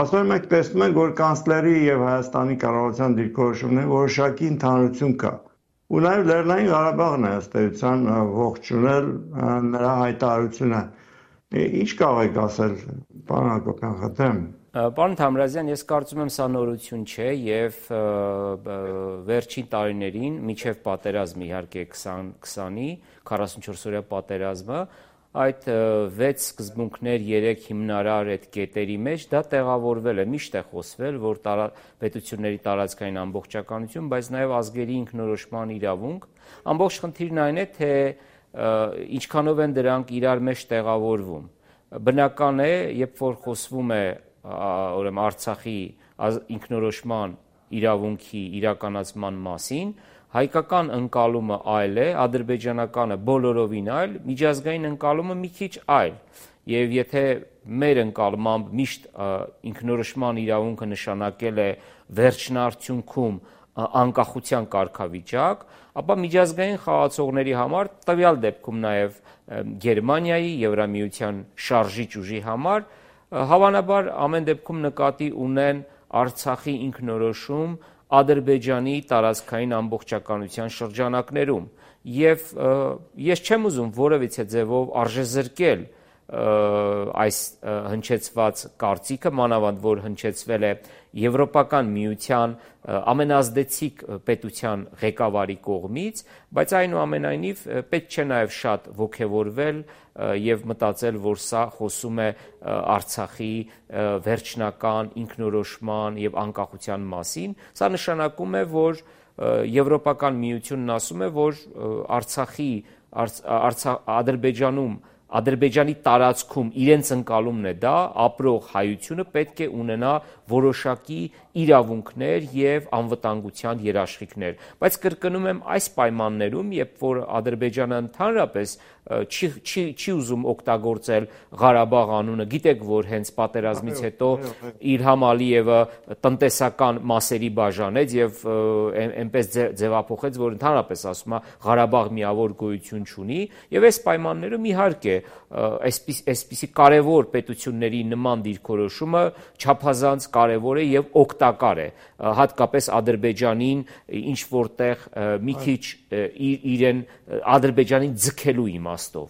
Ասում մենք տեսնում ենք, որ կանցլերի եւ Հայաստանի կառավարության դիրքորոշումների որոշակի ընդհանրություն կա։ Ու նաեւ Լեռնային Ղարաբաղն է ըստ էության ողջունել նրա հայտարարությունը։ Ինչ կարող եք ասել, պարոն Հակոբյան, խնդրեմ։ Պարոն Թամրազյան, ես կարծում եմ սա նորություն չէ եւ վերջին տարիներին միջև պատերազմը իհարկե 2020-ի 44-օրյա պատերազմը այդ 6 սկզբունքներ, 3 հիմնարար այդ կետերի մեջ դա տեղավորվել է, միշտ է խոսվել, որ պետությունների տարածքային ամբողջականություն, բայց նաև ազգերի ինքնորոշման իրավունք, ամբողջ խնդիրն այն է, թե ինչքանով են դրանք իրար մեջ տեղավորվում։ Բնական է, երբ որ խոսվում է ուրեմն Արցախի ինքնորոշման իրավունքի իրականացման մասին, հայկական ընկալումը այլ է, ադրբեջանականը բոլորովին այլ, միջազգային ընկալումը մի քիչ այլ։ Եվ եթե մեր ընկալմամբ միշտ ինքնորոշման իրավունքը նշանակել է վերջնարդյունքում անկախության կարգավիճակ, ապա միջազգային խաղացողների համար, տվյալ դեպքում նաև Գերմանիայի, Եվրամիության շարժիչ ուժի համար, հավանաբար ամեն դեպքում նկատի ունեն Արցախի ինքնորոշում Ադրբեջանի տարածքային ամբողջականության շրջանակներում եւ ես չեմ ուզում որևիցե ձևով արժեզրկել այս հնչեցված կարծիքը, մանավանդ որ հնչեցվել է Եվրոպական միության ամենազդեցիկ պետության ղեկավարի կողմից, բայց այնուամենայնիվ պետք չէ նաև շատ ոգևորվել եւ մտածել, որ սա խոսում է Արցախի վերջնական ինքնորոշման եւ անկախության մասին, սա նշանակում է, որ Եվրոպական միությունն ասում է, որ Ադրբեջանի տարածքում իրենց ընկալումն է դա, ապրող հայությունը պետք է ունենա որոշակի իրավունքներ եւ անվտանգության երաշխիքներ, բայց կրկնում եմ այս պայմաններում, երբ որ Ադրբեջանը ընդհանրապես չի ուզում օգտագործել Ղարաբաղ անունը, գիտեք, որ հենց պատերազմից հետո Իլհամ Ալիևը տնտեսական մասերի բաժանեց եւ այնպես ձևափոխեց, որ ընդհանրապես ասում է Ղարաբաղ միավոր գոյություն չունի, եւ այս պայմաններում իհարկե այսպիսի կարևոր պետությունների նման դիրքորոշումը չափազանց կարևոր է եւ օգտակար է, հատկապես Ադրբեջանին ինչ որտեղ մի քիչ իրեն Ադրբեջանին ձգելու իմաստով։